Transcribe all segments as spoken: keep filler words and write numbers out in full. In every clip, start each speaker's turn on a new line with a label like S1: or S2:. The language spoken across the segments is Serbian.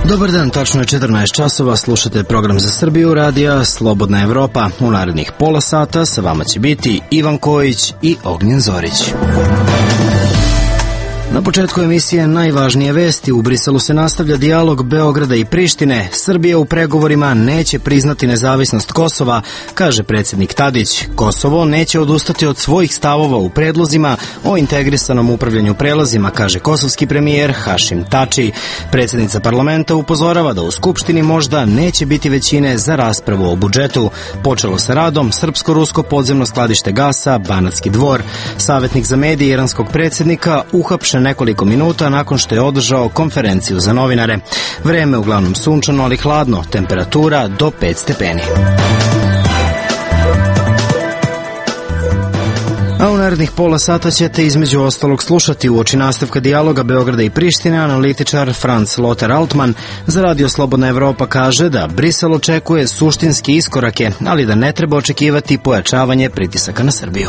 S1: Dobar dan, tačno je četrnaest časova, slušate program za Srbiju, radija Slobodna Evropa. U narednih pola sata sa vama će biti Ivan Kojić i Ognjen Zorić. Na početku emisije najvažnije vesti. U Briselu se nastavlja dijalog Beograda i Prištine. Srbija u pregovorima neće priznati nezavisnost Kosova, kaže predsjednik Tadić. Kosovo neće odustati od svojih stavova u predlozima o integrisanom upravljanju prelazima, kaže kosovski premijer Hašim Tači. Predsjednica parlamenta upozorava da u Skupštini možda neće biti većine za raspravu o budžetu. Počelo sa radom srpsko-rusko podzemno skladište gasa Banatski Dvor. Savjetnik za medije iranskog predsjednika uhapšen nekoliko minuta nakon što je održao konferenciju za novinare. Vreme uglavnom sunčano, ali hladno, temperatura do pet stepeni. A u narednih pola sata ćete između ostalog slušati uoči nastavka dijaloga Beograda i Prištine analitičar Franz Lothar Altman za Radio Slobodna Evropa kaže da Brisel očekuje suštinske iskorake, ali da ne treba očekivati pojačavanje pritisaka na Srbiju.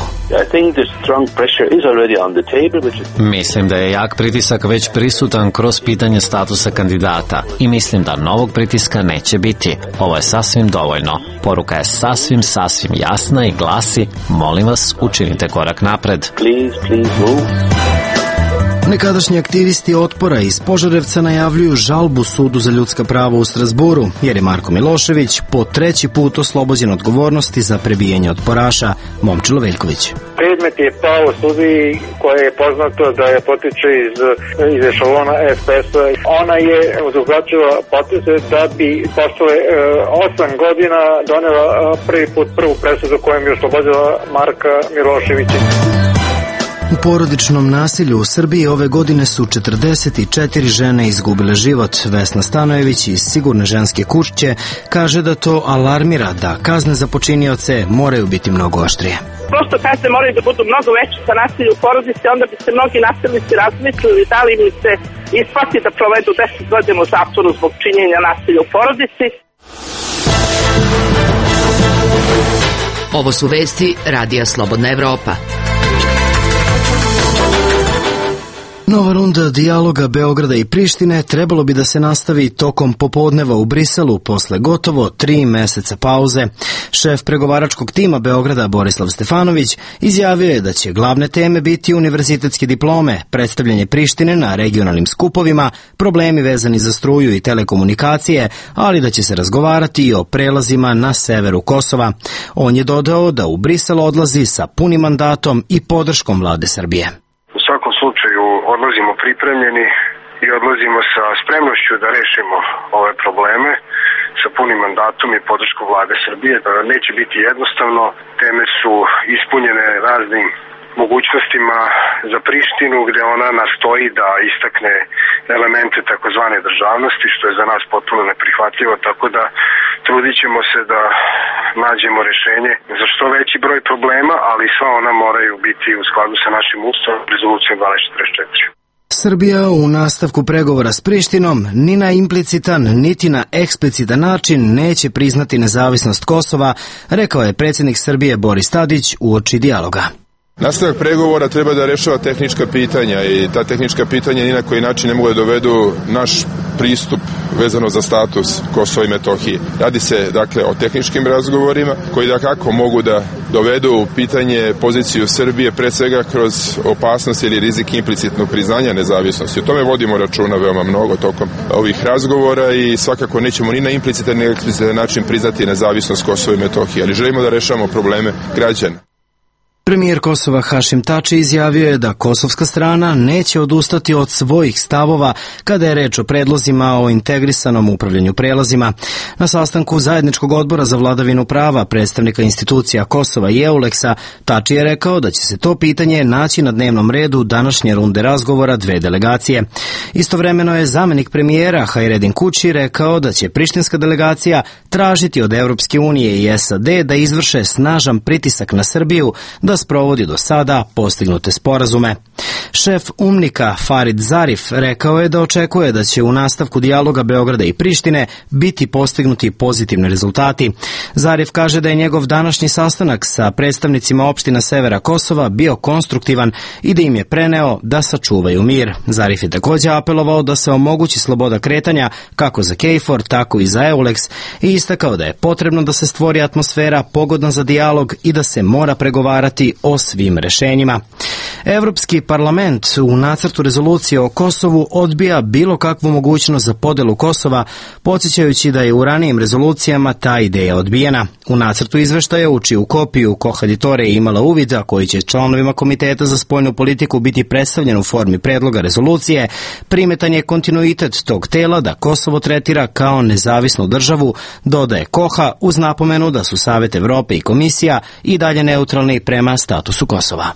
S2: Mislim da je jak pritisak već prisutan kroz pitanje statusa kandidata i mislim da novog pritiska neće biti. Ovo je sasvim dovoljno. Poruka je sasvim, sasvim jasna i glasi: molim vas, učinite korak napred.
S3: Please, please move.
S1: Nekadašnji aktivisti otpora iz Požarevca najavljuju žalbu Sudu za ljudska prava u Strazburu, jer je Marko Milošević po treći put oslobođen odgovornosti za prebijanje otporaša. Momčilo Veljković.
S4: Predmet je pao u sudiji koje je poznato da je potiče iz, iz ešalona S P S-a. Ona je uzvraćala poteze da bi posle e, osam godina donela prvi put prvu presudu kojom je oslobodila Marka Miloševića.
S1: U porodičnom nasilju u Srbiji ove godine su četrdeset četiri žene izgubile život. Vesna Stanojević iz Sigurne ženske kuće kaže da to alarmira da kazne za počinioce moraju biti mnogo oštrije.
S5: Prosto kazne moraju da budu mnogo veće za nasilje u porodici, onda bi se mnogi nasilnici razmislili da li im se isplati da provedu deset godina u zatvoru zbog činjenja nasilja u porodici.
S6: Ovo su vesti Radija Slobodna Evropa.
S1: Nova runda dijaloga Beograda i Prištine trebalo bi da se nastavi tokom popodneva u Briselu posle gotovo tri meseca pauze. Šef pregovaračkog tima Beograda Borislav Stefanović izjavio je da će glavne teme biti univerzitetske diplome, predstavljanje Prištine na regionalnim skupovima, problemi vezani za struju i telekomunikacije, ali da će se razgovarati i o prelazima na severu Kosova. On je dodao da u Brisel odlazi sa punim mandatom i podrškom vlade Srbije.
S7: U svakom slučaju odlazimo pripremljeni i odlazimo sa spremnošću da rešimo ove probleme sa punim mandatom i podrškom vlade Srbije. Neće biti jednostavno, teme su ispunjene raznim mogućnostima za Prištinu gde ona nastoji da istakne elemente takozvane državnosti, što je za nas potpuno neprihvatljivo, tako da trudit ćemo se da nađemo rešenje za što veći broj problema, ali sva ona moraju biti u skladu sa našim ustavom, rezolucijom dvanaest četrdeset četiri.
S1: Srbija u nastavku pregovora s Prištinom ni na implicitan, niti na eksplicitan način neće priznati nezavisnost Kosova, rekao je predsjednik Srbije Boris Tadić uoči dijaloga.
S8: Nastavak pregovora treba da rešava tehnička pitanja i ta tehnička pitanja ni na koji način ne mogu da dovedu naš pristup vezano za status Kosova i Metohije. Radi se dakle o tehničkim razgovorima koji da kako mogu da dovedu u pitanje poziciju Srbije pre svega kroz opasnost ili rizik implicitnog priznanja nezavisnosti. O tome vodimo računa veoma mnogo tokom ovih razgovora i svakako nećemo ni na implicitan ni na eksplicitan način priznati nezavisnost Kosova i Metohije, ali želimo da rešavamo probleme građana.
S1: Premijer Kosova Hašim Tači izjavio je da kosovska strana neće odustati od svojih stavova kada je reč o predlozima o integrisanom upravljanju prelazima. Na sastanku Zajedničkog odbora za vladavinu prava predstavnika institucija Kosova i Euleksa, Tači je rekao da će se to pitanje naći na dnevnom redu današnje runde razgovora dve delegacije. Istovremeno je zamenik premijera Hajredin Kući rekao da će prištinska delegacija tražiti od Evropske unije i S A D da izvrše snažan pritisak na Srbiju da da sprovodi do sada postignute sporazume. Šef UMNIK-a Farid Zarif rekao je da očekuje da će u nastavku dijaloga Beograda i Prištine biti postignuti pozitivni rezultati. Zarif kaže da je njegov današnji sastanak sa predstavnicima opština severa Kosova bio konstruktivan i da im je preneo da sačuvaju mir. Zarif je također apelovao da se omogući sloboda kretanja kako za KFOR, tako i za EULEX i istakao da je potrebno da se stvori atmosfera pogodna za dijalog i da se mora pregovarati o svim rešenjima. Evropski parlament u nacrtu rezolucije o Kosovu odbija bilo kakvu mogućnost za podelu Kosova, podsjećajući da je u ranijim rezolucijama ta ideja odbijena. U nacrtu izveštaja, u čiju kopiju Kohaditore je imala uvida, koji će članovima Komiteta za spoljnu politiku biti predstavljen u formi predloga rezolucije, primetan je kontinuitet tog tela da Kosovo tretira kao nezavisnu državu, dodaje Koha uz napomenu da su Savet Evrope i Komisija i dalje neutralni prema statusu Kosova.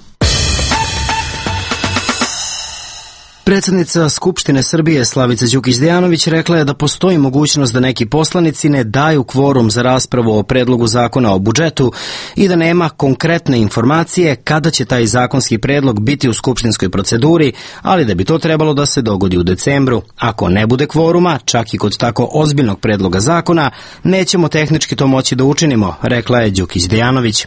S1: Predsjednica Skupštine Srbije Slavica Đukić-Dejanović rekla je da postoji mogućnost da neki poslanici ne daju kvorum za raspravu o predlogu zakona o budžetu i da nema konkretne informacije kada će taj zakonski predlog biti u skupštinskoj proceduri, ali da bi to trebalo da se dogodi u decembru. Ako ne bude kvoruma, čak i kod tako ozbiljnog predloga zakona, nećemo tehnički to moći da učinimo, rekla je Đukić-Dejanović.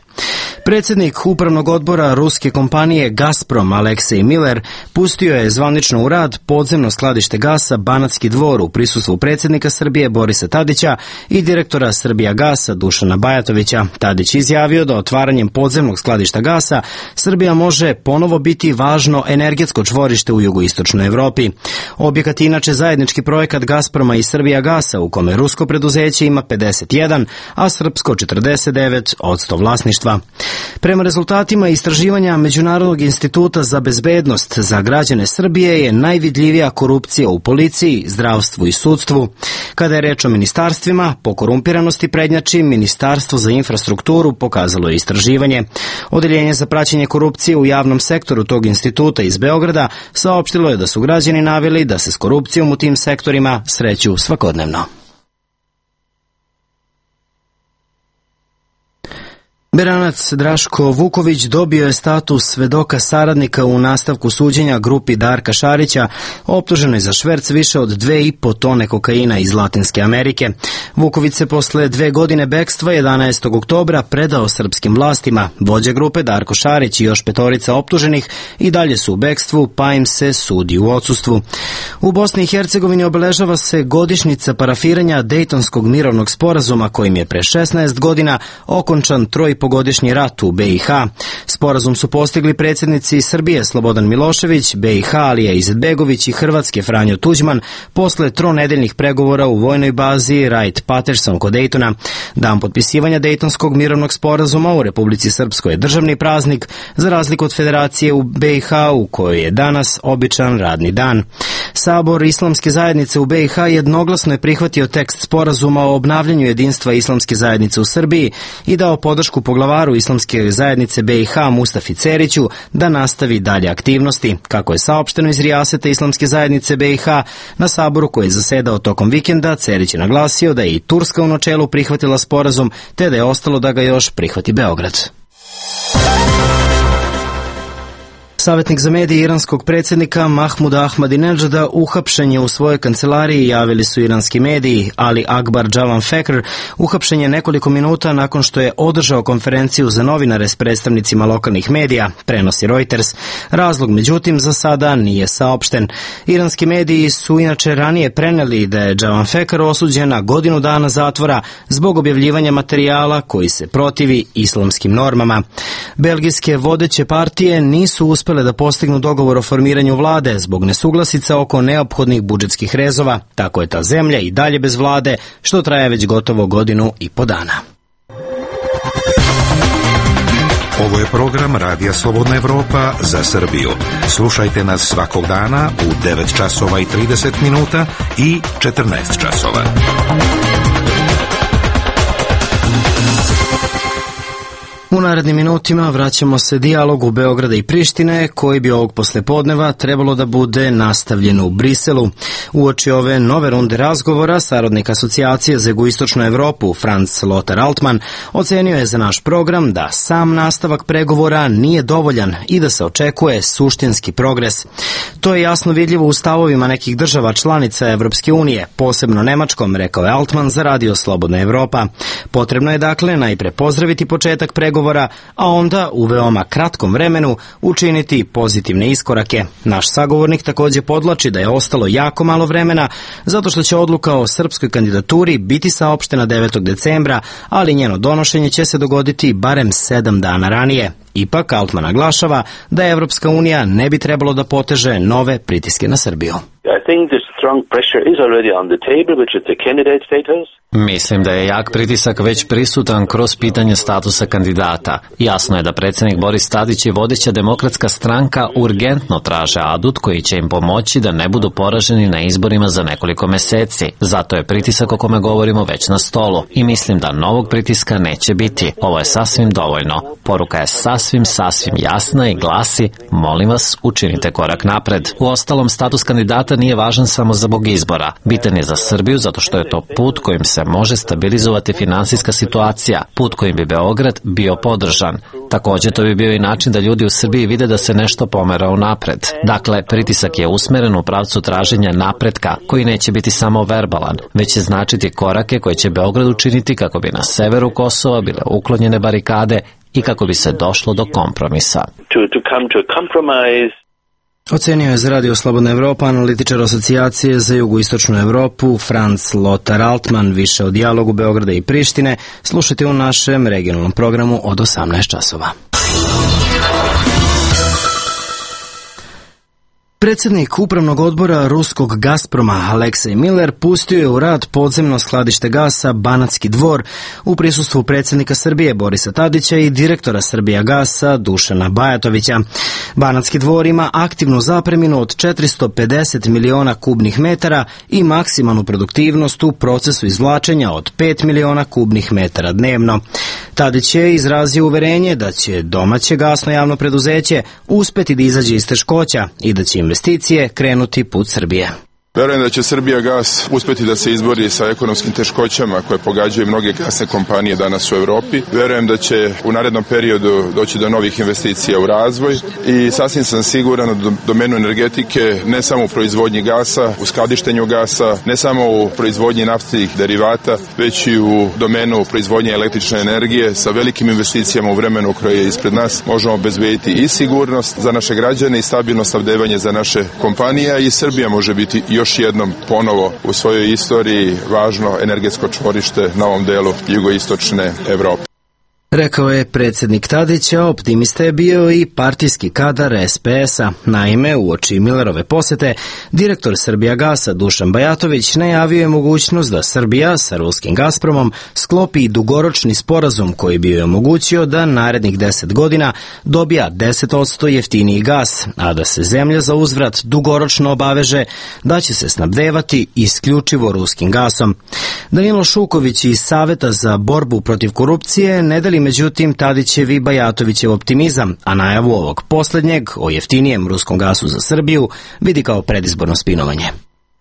S1: Predsjednik upravnog odbora ruske kompanije Gazprom Aleksej Miller pustio je zvanično u rad podzemno skladište gasa Banatski Dvor u prisustvu predsjednika Srbije Borisa Tadića i direktora Srbijagasa Dušana Bajatovića. Tadić izjavio da otvaranjem podzemnog skladišta gasa Srbija može ponovo biti važno energetsko čvorište u jugoistočnoj Evropi. Objekat je inače zajednički projekat Gazproma i Srbijagasa u kome rusko preduzeće ima pedeset jedan, a srpsko četrdeset devet posto vlasništva. Prema rezultatima istraživanja Međunarodnog instituta za bezbednost za građane Srbije je najvidljivija korupcija u policiji, zdravstvu i sudstvu. Kada je reč o ministarstvima, po korumpiranosti prednjači Ministarstvo za infrastrukturu, pokazalo je istraživanje. Odeljenje za praćenje korupcije u javnom sektoru tog instituta iz Beograda saopštilo je da su građani naveli da se s korupcijom u tim sektorima sreću svakodnevno. Beranac Draško Vuković dobio je status svedoka saradnika u nastavku suđenja grupi Darka Šarića, optuženoj za šverc više od dve i po tone kokaina iz Latinske Amerike. Vuković se posle dve godine bekstva jedanaestog oktobra predao srpskim vlastima. Vođa grupe Darko Šarić i još petorica optuženih i dalje su u bekstvu, pa im se sudi u odsustvu. U Bosni i Hercegovini obeležava se godišnjica parafiranja Dejtonskog mirovnog sporazuma, kojim je pre šesnaest godina okončan troj godišnji rat u B i H. Sporazum su postigli predsjednici Srbije Slobodan Milošević, B i H Alija Izetbegović i Hrvatske Franjo Tuđman posle tronedeljnih pregovora u vojnoj bazi Wright-Patterson kod Dejtona. Dan potpisivanja Dejtonskog mirovnog sporazuma u Republici Srpskoj je državni praznik, za razliku od Federacije u B i H u kojoj je danas običan radni dan. Sabor Islamske zajednice u B i H jednoglasno je prihvatio tekst sporazuma o obnavljanju jedinstva Islamske zajednice u Srbiji i dao podršku poglavaru Islamske zajednice B i H Mustafi Ceriću da nastavi dalje aktivnosti. Kako je saopšteno iz Rijaseta Islamske zajednice B i H, na saboru koji je zasedao tokom vikenda, Cerić je naglasio da je i Turska u načelu prihvatila sporazum, te da je ostalo da ga još prihvati Beograd. Savjetnik za medije iranskog predsjednika Mahmuda Ahmadinejada uhapšen je u svojoj kancelariji, javili su iranski mediji. Ali Akbar Javanfekr uhapšen je nekoliko minuta nakon što je održao konferenciju za novinare s predstavnicima lokalnih medija, prenosi Reuters. Razlog, međutim, za sada nije saopšten. Iranski mediji su inače ranije preneli da je Javanfekr osuđen na godinu dana zatvora zbog objavljivanja materijala koji se protivi islamskim normama. Belgijske vodeće partije nisu uspjele da postignu dogovor o formiranju vlade zbog nesuglasica oko neophodnih budžetskih rezova. Tako je ta zemlja i dalje bez vlade, što traje već gotovo godinu i po dana.
S3: Ovo je program Radija Slobodna Evropa za Srbiju. Slušajte nas svakog dana u devet časova i trideset minuta i četrnaest časova.
S1: U narednim minutima vraćamo se dijalogu Beograda i Prištine, koji bi ovog poslepodneva trebalo da bude nastavljen u Briselu. Uoči ove nove runde razgovora, saradnik asocijacije za jugoistočnu Evropu, Franz Lothar Altmann, ocenio je za naš program da sam nastavak pregovora nije dovoljan i da se očekuje suštinski progres. To je jasno vidljivo u stavovima nekih država članica Evropske unije, posebno Nemačkom, rekao je Altmann za Radio Slobodna Evropa. Potrebno je dakle najpre pozdraviti početak pregovora, a onda u veoma kratkom vremenu učiniti pozitivne iskorake. Naš sagovornik također podlači da je ostalo jako malo vremena, zato što će odluka o srpskoj kandidaturi biti saopštena devetog decembra, ali njeno donošenje će se dogoditi barem sedam dana ranije. Ipak, Altmann naglašava da Evropska unija ne bi trebalo da poteže nove pritiske na Srbiju.
S9: I think the strong pressure is already on the table, which is the candidate status.
S2: Mislim da je jak pritisak već prisutan kroz pitanje statusa kandidata. Jasno je da predsjednik Boris Tadić i vodeća demokratska stranka urgentno traže adut koji će im pomoći da ne budu poraženi na izborima za nekoliko meseci. Zato je pritisak o kome govorimo već na stolu i mislim da novog pritiska neće biti. Ovo je sasvim dovoljno. Poruka je sasvim, sasvim jasna i glasi: molim vas, učinite korak napred. Uostalom, status kandidata nije važan samo zbog izbora. Bitan je za Srbiju zato što je to put kojim se može stabilizovati finansijska situacija, put kojim bi Beograd bio podržan. Također to bi bio i način da ljudi u Srbiji vide da se nešto pomera unapred. Dakle, pritisak je usmeren u pravcu traženja napretka, koji neće biti samo verbalan, već će značiti korake koje će Beograd učiniti kako bi na severu Kosova bile uklonjene barikade i kako bi se došlo do kompromisa.
S9: To, to come to a compromise.
S1: Ocenio je za Radio Slobodna Evropa analitičar asocijacije za jugoistočnu Evropu Franz Lothar Altmann. Više o dijalogu Beograda i Prištine slušajte u našem regionalnom programu od osamnaest časova. Predsjednik upravnog odbora ruskog Gazproma Aleksej Miller pustio je u rad podzemno skladište gasa Banatski Dvor u prisustvu predsjednika Srbije Borisa Tadića i direktora Srbijagasa Dušana Bajatovića. Banatski Dvor ima aktivnu zapreminu od četiristo pedeset miliona kubnih metara i maksimalnu produktivnost u procesu izvlačenja od pet miliona kubnih metara dnevno. Tadić je izrazio uverenje da će domaće gasno javno preduzeće uspeti da izađe iz teškoća i da će investicije krenuti put Srbije.
S8: Verujem da će Srbijagas uspeti da se izbori sa ekonomskim teškoćama koje pogađaju mnoge gasne kompanije danas u Evropi. Verujem da će u narednom periodu doći do novih investicija u razvoj i sasvim sam siguran u domenu energetike, ne samo u proizvodnji gasa, u skladištenju gasa, ne samo u proizvodnji naftnih derivata, već i u domenu proizvodnje električne energije. Sa velikim investicijama u vremenu koje je ispred nas možemo obezbediti i sigurnost za naše građane i stabilno snabdevanje za naše kompanije, i Srbija može biti još još jednom ponovo u svojoj istoriji važno energetsko čvorište na ovom delu jugoistočne Evrope.
S1: Rekao je predsjednik Tadića, optimista je bio i partijski kadar es pe es-a. Naime, uoči Millerove posete, direktor Srbijagasa Dušan Bajatović najavio je mogućnost da Srbija sa ruskim Gazpromom sklopi dugoročni sporazum koji bi joj omogućio da narednih deset godina dobija deset posto jeftiniji gas, a da se zemlja za uzvrat dugoročno obaveže da će se snabdevati isključivo ruskim gasom. Danilo Šuković iz Saveta za borbu protiv korupcije ne dali međutim Tadićev i Bajatovićev optimizam, a najavu ovog posljednjeg o jeftinijem ruskom gasu za Srbiju vidi kao predizborno spinovanje.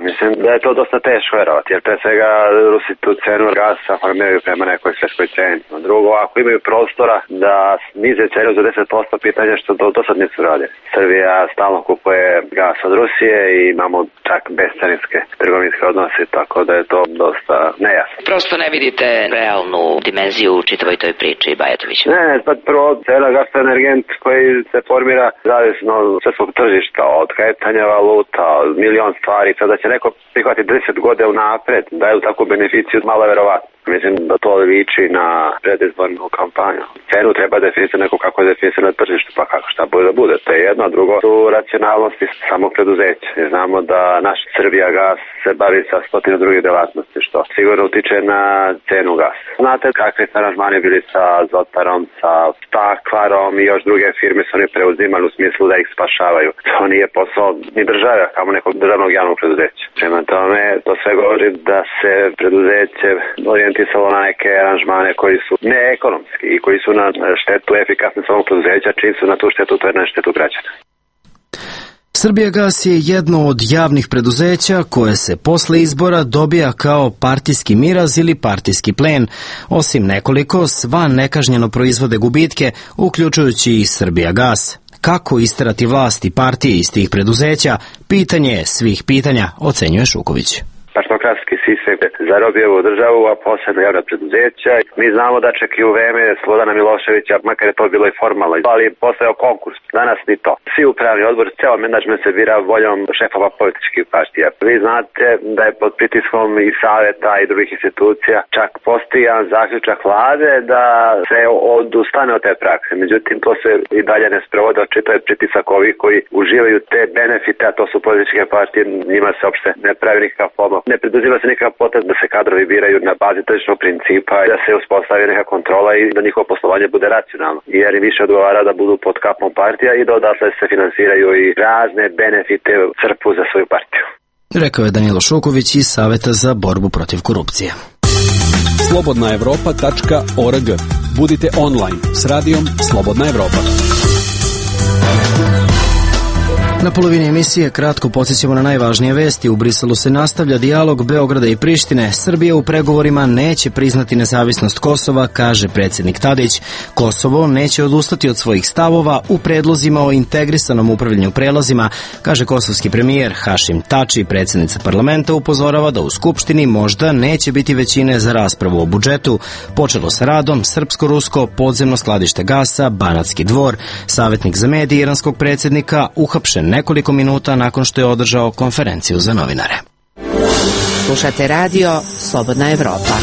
S10: Mislim da je to dosta teško verovati, jer pre svega Rusi tu cenu gasa formiraju prema nekoj svjetskoj ceni. Drugo, ako imaju prostora da snize cenu za deset posto, pitanje što do, do sad nisu radili. Srbija stalno kupuje gas od Rusije i imamo čak bescarinske trgovinske odnose, tako da je to dosta nejasno.
S6: Prosto ne vidite realnu dimenziju u čitavoj toj priči, Bajatovića?
S10: Ne, ne, pa prvo, cena gasa je energent koji se formira zavisno od svetskog tržišta, od kretanja valuta, od milion stvari, sada će neko prihvati deset godina unapred, da je u takvu beneficiju malo verovatno. Mislim da to liči na predizbornu kampanju. Cenu treba definisati neko kako je definisati na tržištu, pa kako šta bude da bude. To je jedno, a drugo su racionalnosti samog preduzeća. Znamo da naš Srbijagas se bavi sa stotinu drugih delatnosti, što sigurno utiče na cenu gasa. Znate kakvi su aranžmani bili sa Zotarom, sa Stakvarom i još druge firme su oni preuzimali u smislu da ih spašavaju. To nije posao ni države, kamo nekog državnog javnog preduzeća. Prema tome, to sve govori da se preduzeće orijentira implementisalo na neke aranžmane koji su neekonomski i koji su na štetu efikasnosti samog preduzeća, čim su na tu štetu, to je na štetu građana.
S1: Srbijagas je jedno od javnih preduzeća koje se posle izbora dobija kao partijski miraz ili partijski plen. Osim nekoliko, sva nekažnjeno proizvode gubitke, uključujući i Srbijagas. Kako isterati vlast i partije iz tih preduzeća, pitanje je svih pitanja, ocenjuje Šuković.
S10: Partokratski sistem zarobio ovu državu, a posebno javna preduzeća. Mi znamo da čak i u vreme Slobodana Miloševića, makar je to bilo i formalno, ali postojao konkurs. Danas ni to. Svi upravni odbor, ceo menadžment se bira voljom šefova političkih partija. Vi znate da je pod pritiskom i saveta i drugih institucija čak postoji jedan zaključak vlade da se odustane od te prakse. Međutim, to se i dalje ne sprovode, očito je pritisak ovih koji uživaju te benefite, a to su političke partije, njima se uopšte ne pravi nikakav pomoć. Ne preduzima se nikakav potez da se kadrovi biraju na bazi tržišnog principa i da se uspostavi neka kontrola i da njihovo poslovanje bude racionalno. Jer im više odgovara da budu pod kapom partija i da odatle se finansiraju i razne benefite crpu za svoju partiju.
S1: Rekao je Danilo Šuković iz Saveta za borbu protiv korupcije.
S11: slobodna evropa tačka org. Budite online s radijom Slobodna Evropa.
S1: Na polovini emisije kratko podsjećamo na najvažnije vesti. U Briselu se nastavlja dijalog Beograda i Prištine. Srbija u pregovorima neće priznati nezavisnost Kosova, kaže predsjednik Tadić. Kosovo neće odustati od svojih stavova u predlozima o integrisanom upravljanju prelazima, kaže kosovski premijer Hašim Tači. Predsjednica parlamenta upozorava da u Skupštini možda neće biti većine za raspravu o budžetu. Počelo sa radom srpsko-rusko podzemno skladište gasa Banatski dvor. Savjetnik za medije iranskog predsjednika uhapšen nekoliko minuta nakon što je održao konferenciju za novinare.
S12: Slušate radio Slobodna Evropa.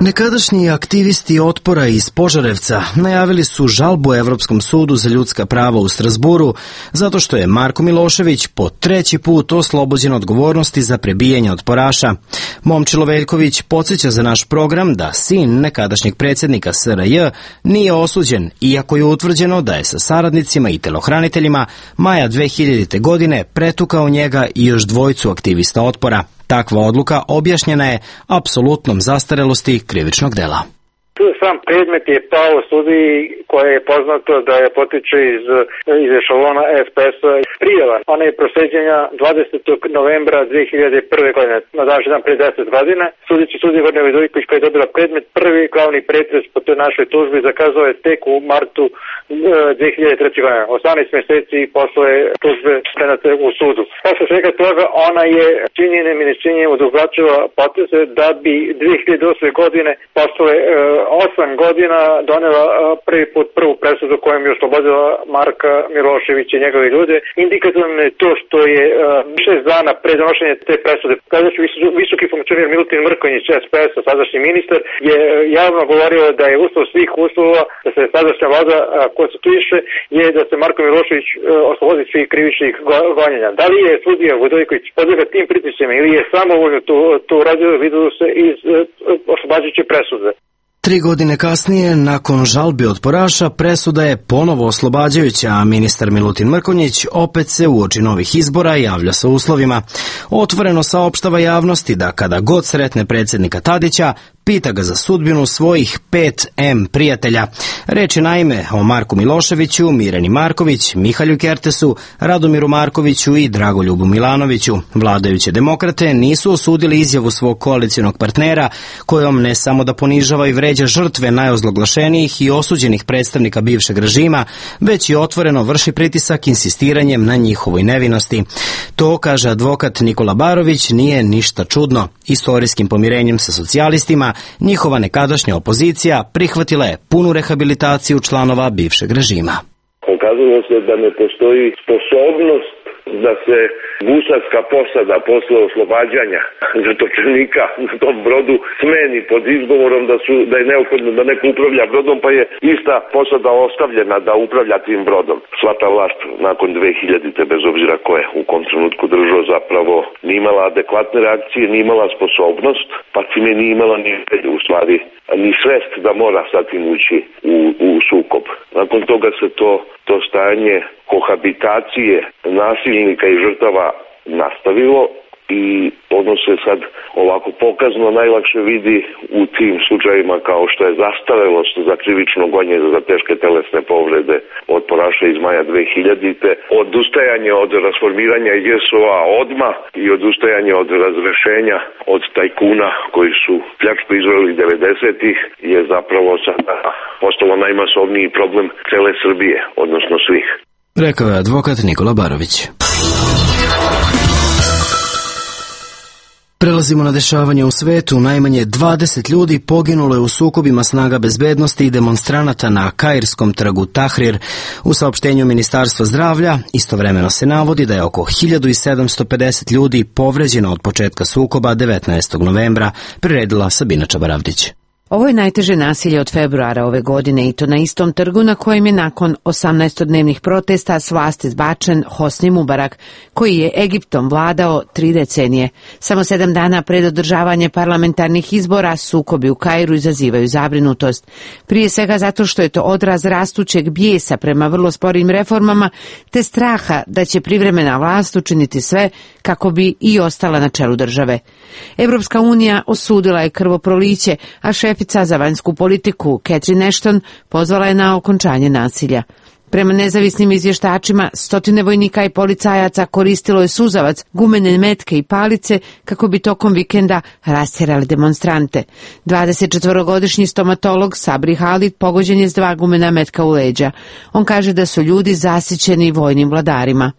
S1: Nekadašnji aktivisti otpora iz Požarevca najavili su žalbu Evropskom sudu za ljudska prava u Strazburu zato što je Marko Milošević po treći put oslobođen odgovornosti za prebijanje otporaša. Momčilo Veljković podsjeća za naš program da sin nekadašnjeg predsjednika S R J nije osuđen, iako je utvrđeno da je sa saradnicima i telohraniteljima maja dve hiljadite. godine pretukao njega i još dvojicu aktivista otpora. Takva odluka objašnjena je apsolutnom zastarelosti krivičnog dela.
S4: Sam predmet je pao sudiji koje je poznato da je potiče iz, iz ešalona S P S-a prijava. Ona je prosleđenja dvadesetog novembra dve hiljade prve. godine, na današnji dan pre deset godina. Sudeći sudija Gordana Vidojković koja je dobila predmet, prvi glavni pretres po toj našoj tužbi zakazao je tek u martu dve hiljade treće. godine, osamnaest mjeseci posle tužbe predate u sudu. Posle svega toga ona je činjenjem i nečinjenjem odugovlačila poteze da bi dve hiljade osme. godine posle osam godina donela prvi put prvu presudu kojom je oslobodila Marka Miloševića i njegove ljude. Indikativno je to što je šest dana pre donošenja te presude tadašnji visoki funkcioner Milutin Mrkonjić S P S-a, sadašnji ministar, je javno govorio da je uslov svih uslova da se sadašnja vlada konstituiše je da se Marko Milošević oslobodi svih krivičnih gonjenja. Da li je sudija Vidojković podlega tim pritiscima ili je samovoljno to, to uradio, videlo se iz oslobađajuće presude.
S1: Tri godine kasnije, nakon žalbi otporaša, presuda je ponovo oslobađajuća, a ministar Milutin Mrkonjić opet se uoči novih izbora javlja sa uslovima. Otvoreno saopštava javnosti da kada god sretne predsjednika Tadića, pita ga za sudbinu svojih pet M prijatelja. Reč je naime o Marku Miloševiću, Mirjani Marković, Mihalju Kertesu, Radomiru Markoviću i Dragoljubu Milanoviću. Vladajuće demokrate nisu osudili izjavu svog koalicionog partnera, kojom ne samo da ponižava i vređa žrtve najozloglašenijih i osuđenih predstavnika bivšeg režima, već i otvoreno vrši pritisak insistiranjem na njihovoj nevinosti. To, kaže advokat Nikola Barović, nije ništa čudno. Istorijskim pomirenjem sa socijalistima njihova nekadašnja opozicija prihvatila je punu rehabilitaciju članova bivšeg režima.
S13: Pokazalo se da ne postoji sposobnost da se gusarska posada posle oslobađanja zatočenika na tom brodu smeni pod izgovorom da su da je neophodno da neko upravlja brodom, pa je ista posada ostavljena da upravlja tim brodom. Sva ta vlast nakon dve hiljadite. bez obzira ko je u kom trenutku držao, zapravo nije imala adekvatne reakcije, nije imala sposobnost, pa time nije imala ni u stvari ni svest da mora sa tim ući u, u sukob. Nakon toga se to, to stanje kohabitacije nasilnika i žrtava nastavilo i ono se sad ovako pokazno najlakše vidi u tim slučajevima kao što je zastarelost za krivično gonjenje za teške telesne povrede od Poraša iz maja dve hiljadite, odustajanje od rasformiranja J S O-a odmah i odustajanje od razrešenja od tajkuna koji su pljačku izveli devedesetih je zapravo sada postalo najmasovniji problem cele Srbije, odnosno svih.
S1: Rekao je advokat Nikola Barović. Prelazimo na dešavanje u svetu. Najmanje dvadeset ljudi poginulo je u sukobima snaga bezbednosti i demonstranata na Kairskom trgu Tahrir. U saopštenju Ministarstva zdravlja istovremeno se navodi da je oko hiljadu sedamsto pedeset ljudi povređeno od početka sukoba devetnaestog novembra, priredila Sabina Čabaravdić.
S12: Ovo je najteže nasilje od februara ove godine i to na istom trgu na kojem je nakon osamnaestodnevnih protesta s vlasti zbačen Hosni Mubarak, koji je Egiptom vladao tri decenije. Samo sedam dana pred održavanje parlamentarnih izbora sukobi u Kairu izazivaju zabrinutost. Prije svega zato što je to odraz rastućeg bijesa prema vrlo sporim reformama, te straha da će privremena vlast učiniti sve kako bi i ostala na čelu države. Evropska unija osudila je krvoproliće, a šefica za vanjsku politiku Catherine Ashton pozvala je na okončanje nasilja. Prema nezavisnim izvještačima, stotine vojnika i policajaca koristilo je suzavac, gumene metke i palice kako bi tokom vikenda rastjerali demonstrante. dvadesetčetvorogodišnji stomatolog Sabri Halid pogođen je s dva gumena metka u leđa. On kaže da su ljudi zasićeni vojnim vladarima.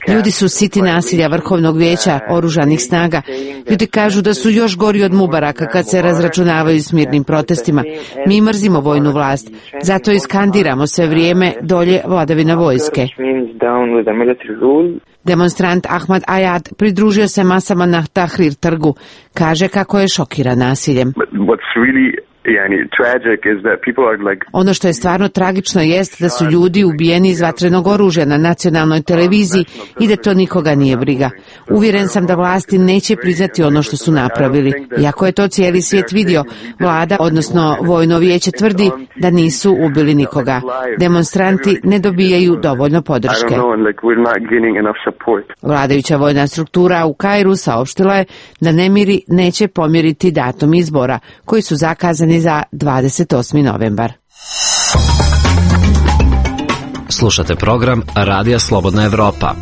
S12: Ljudi su siti nasilja Vrhovnog vijeća oružanih snaga. Ljudi kažu da su još gori od Mubaraka kad se razračunavaju s mirnim protestima. Mi mrzimo vojnu vlast, zato iskandiramo sve vrijeme dolje vladavina vojske. Demonstrant Ahmad Ayad pridružio se masama na Tahrir trgu. Kaže kako je šokiran nasiljem. Ono što je stvarno tragično jest da su ljudi ubijeni iz vatrenog oružja na nacionalnoj televiziji i da to nikoga nije briga. Uvjeren sam da vlasti neće priznati ono što su napravili. Iako je to cijeli svijet vidio, vlada, odnosno vojno vijeće tvrdi da nisu ubili nikoga. Demonstranti ne dobijaju dovoljno podrške. Vladajuća vojna struktura u Kairu saopštila je da nemiri neće pomjeriti datum izbora, koji su zakazani za dvadeset osmi novembar.
S2: Slušate program Radija Slobodna Evropa.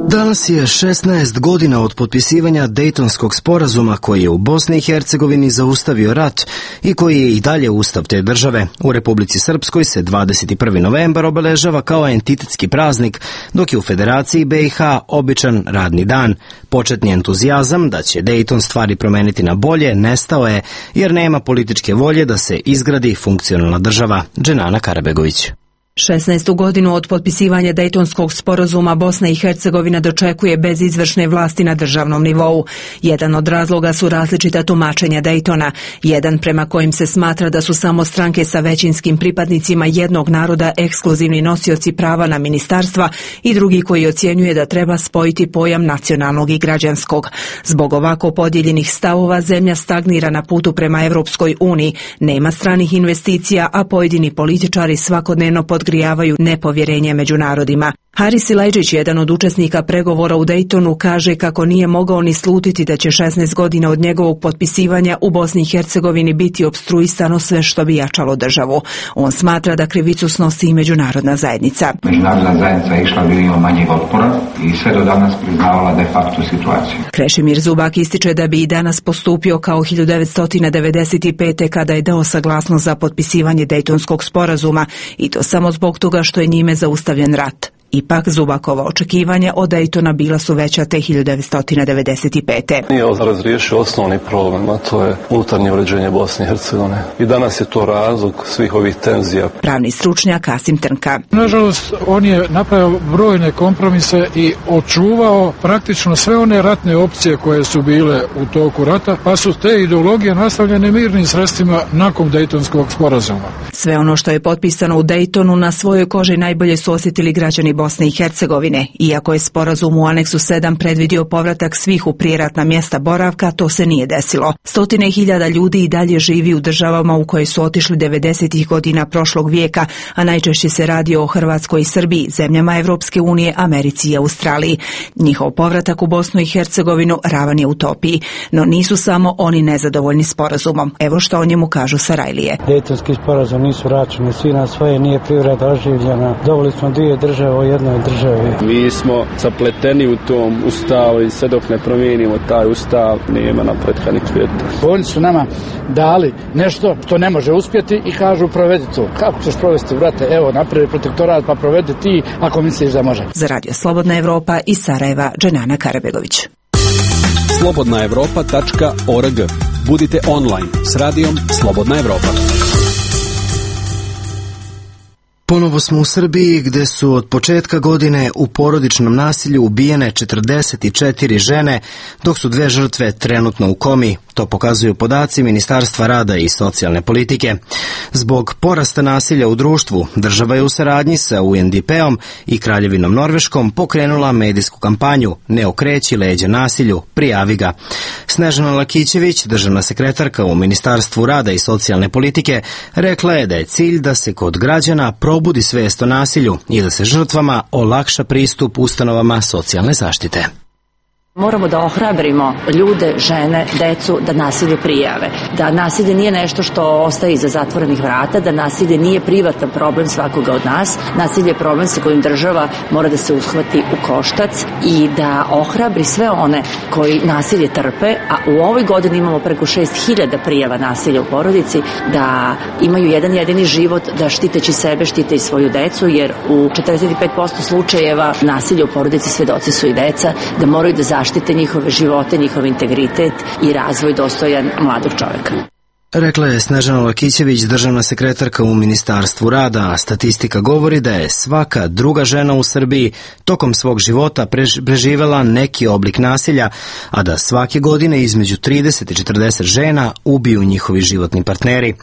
S1: Danas je šesnaest godina od potpisivanja Dejtonskog sporazuma koji je u Bosni i Hercegovini zaustavio rat i koji je i dalje ustav te države. U Republici Srpskoj se dvadeset prvi novembar obeležava kao entitetski praznik, dok je u Federaciji B i H običan radni dan. Početni entuzijazam da će Dejton stvari promeniti na bolje nestao je jer nema političke volje da se izgradi funkcionalna država. Dženana Karabegović.
S14: šesnaestu godinu od potpisivanja Dejtonskog sporazuma Bosna i Hercegovina dočekuje bez izvršne vlasti na državnom nivou. Jedan od razloga su različita tumačenja Dejtona, jedan prema kojim se smatra da su samo stranke sa većinskim pripadnicima jednog naroda ekskluzivni nosioci prava na ministarstva i drugi koji ocjenjuje da treba spojiti pojam nacionalnog i građanskog. Zbog ovako podijeljenih stavova zemlja stagnira na putu prema Evropskoj uniji, nema stranih investicija, a pojedini političari svakodnevno pod podgrijavaju nepovjerenje među narodima. Haris Silajđić, jedan od učesnika pregovora u Dejtonu, kaže kako nije mogao ni slutiti da će šesnaest godina od njegovog potpisivanja u Bosni i Hercegovini biti opstruisano sve što bi jačalo državu. On smatra da krivicu snosi i međunarodna zajednica.
S15: Međunarodna zajednica je išla linijom manjeg otpora i sve do danas priznavala de facto situaciju.
S14: Krešimir Zubak ističe da bi i danas postupio kao hiljadu devetsto devedeset pete. kada je dao saglasnost za potpisivanje Dejtonskog sporazuma i to samo zbog toga što je njime zaustavljen rat. Ipak Zubakova očekivanja od Dejtona bila su veća te hiljadu devetsto devedeset pete.
S16: Nije razriješio osnovni problem, a to je unutarnje uređenje Bosne i Hercegovine. I danas je to razlog svih ovih tenzija.
S14: Pravni stručnjak Kasim Trnka.
S17: Nažalost, on je napravio brojne kompromise i očuvao praktično sve one ratne opcije koje su bile u toku rata, pa su te ideologije nastavljene mirnim sredstvima nakon Dejtonskog sporazuma.
S14: Sve ono što je potpisano u Dejtonu na svojoj koži najbolje su osjetili građani Bosne i Hercegovine. Iako je sporazum u aneksu sedam predvidio povratak svih u prijeratna mjesta boravka, to se nije desilo. Stotine hiljada ljudi i dalje živi u državama u koje su otišli devedesetih godina prošlog vijeka, a najčešće se radi o Hrvatskoj i Srbiji, zemljama Evropske unije, Americi i Australiji. Njihov povratak u Bosnu i Hercegovinu ravan je utopiji, no nisu samo oni nezadovoljni sporazumom. Evo što o njemu kažu Sarajlije.
S18: Dejtonski sporazum nisu računi svi na svoje, nije privreda oživljena. Dobili smo dvije države u jednoj državi.
S19: Mi smo zapleteni u tom ustavu i sve dok ne promijenimo taj ustav, nema napretka ni svijeta.
S20: Oni su nama dali nešto što ne može uspjeti i kažu provedi to. Kako ćeš provesti, brate? Evo, napravi protektorat pa provedi ti ako misliš da može.
S14: Za Radio Slobodna Evropa iz Sarajeva, Dženana Karabegović.
S11: slobodna evropa tačka org. Budite online s radijom Slobodna Evropa.
S1: Ponovo smo u Srbiji gdje su od početka godine u porodičnom nasilju ubijene četrdeset četiri žene, dok su dve žrtve trenutno u komi. To pokazuju podaci Ministarstva rada i socijalne politike. Zbog porasta nasilja u društvu, država je u saradnji sa U N D P-om i Kraljevinom Norveškom pokrenula medijsku kampanju Ne okreći leđa nasilju, prijavi ga. Snežana Lakićević, državna sekretarka u Ministarstvu rada i socijalne politike, rekla je da je cilj da se kod građana probudi svijest o nasilju i da se žrtvama olakša pristup ustanovama socijalne zaštite.
S21: Moramo da ohrabrimo ljude, žene, decu da nasilje prijave. Da nasilje nije nešto što ostaje iza zatvorenih vrata, da nasilje nije privatan problem svakoga od nas. Nasilje je problem sa kojim država mora da se uhvati u koštac i da ohrabri sve one koji nasilje trpe, a u ovoj godini imamo preko šest hiljada prijava nasilja u porodici, da imaju jedan jedini život, da štiteći sebe štite i svoju decu, jer u četrdeset pet posto slučajeva nasilja u porodici svedoci su i deca, da moraju da zaštite njihove živote, njihov integritet i razvoj dostojan mladog čovjeka.
S1: Rekla je Snežana Lakićević, državna sekretarka u Ministarstvu rada, a statistika govori da je svaka druga žena u Srbiji tokom svog života preživela neki oblik nasilja, a da svake godine između trideset i četrdeset žena ubiju njihovi životni partneri.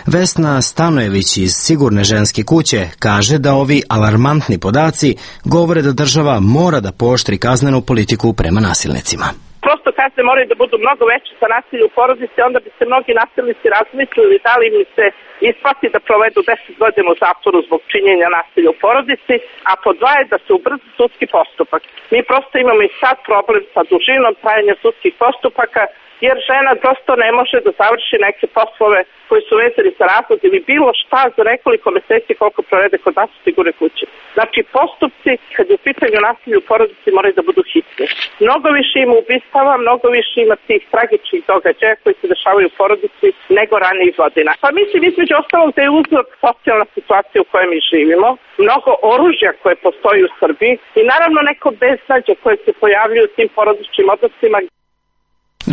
S1: Vesna Stanojević iz Sigurne ženske kuće kaže da ovi alarmantni podaci govore da država mora da pooštri kaznenu politiku prema nasilnicima.
S5: Prosto kazne moraju da budu mnogo veće za nasilje u porodici, onda bi se mnogi nasilnici razmislili da li im se isplati da provedu deset godina u zatvoru zbog činjenja nasilja u porodici, a po dva je da se ubrza sudski postupak. Mi prosto imamo i sad problem sa dužinom trajanja sudskih postupaka, jer žena prosto ne može da završi neke poslove koji su vezani za razlog ili bilo šta za nekoliko meseci koliko provede kod nas u Sigurne kuće. Znači, postupci, kad je u pitanju nasilja u porodici, moraju da budu hitni. Mnogo više ima ubistava, mnogo više ima tih tragičnih događaja koji se dešavaju u porodici nego ranijih godina. Pa mislim, između ostalog, da je uzrok socijalna situacija u kojoj mi živimo, mnogo oružja koje postoji u Srbiji i naravno neko beznađe koje se pojavljuju u tim porodičnim odnosima.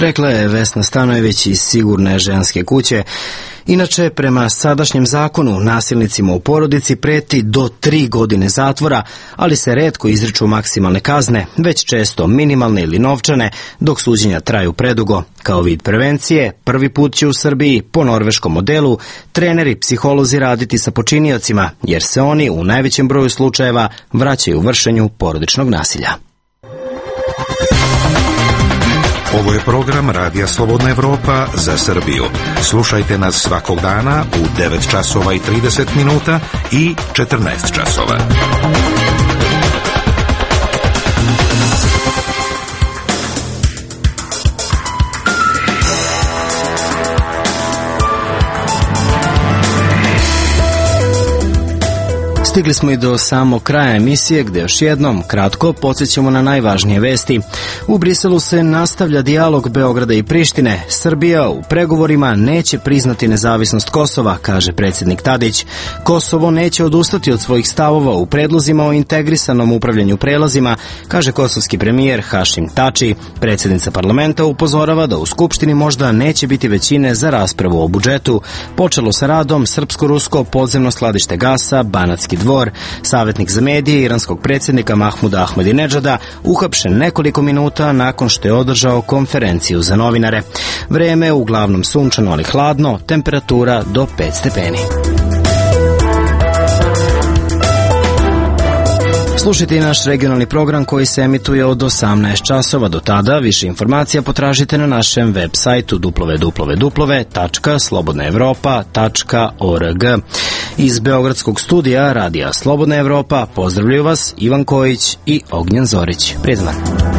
S1: Rekla je Vesna Stanojević iz Sigurne ženske kuće. Inače, prema sadašnjem zakonu, nasilnicima u porodici preti do tri godine zatvora, ali se retko izriču maksimalne kazne, već često minimalne ili novčane, dok suđenja traju predugo. Kao vid prevencije, prvi put će u Srbiji, po norveškom modelu, treneri, psiholozi raditi sa počiniocima, jer se oni u najvećem broju slučajeva vraćaju vršenju porodičnog nasilja.
S3: Ovo je program Radija Slobodna Evropa za Srbiju. Slušajte nas svakog dana u devet časova i trideset minuta i četrnaest časova.
S1: Stigli smo i do samog kraja emisije, gdje još jednom kratko podsjećamo na najvažnije vesti. U Briselu se nastavlja dijalog Beograda i Prištine. Srbija u pregovorima neće priznati nezavisnost Kosova, kaže predsjednik Tadić. Kosovo neće odustati od svojih stavova u predlozima o integrisanom upravljanju prelazima, kaže kosovski premijer Hašim Tači. Predsjednica parlamenta upozorava da u Skupštini možda neće biti većine za raspravu o budžetu. Počelo sa radom srpsko-rusko podzemno skladište gasa Banatski dvor. Savjetnik za medije iranskog predsjednika Mahmuda Ahmadinedžada uhapšen nekoliko minuta nakon što je održao konferenciju za novinare. Vreme uglavnom sunčano, ali hladno, temperatura do pet stepeni. Slušajte i naš regionalni program koji se emituje od osamnaest časova. Do tada više informacija potražite na našem web sajtu w w w tačka slobodna evropa tačka org. Iz Beogradskog studija Radija Slobodna Evropa pozdravljaju vas Ivan Kojić i Ognjen Zorić. Prijetan dan.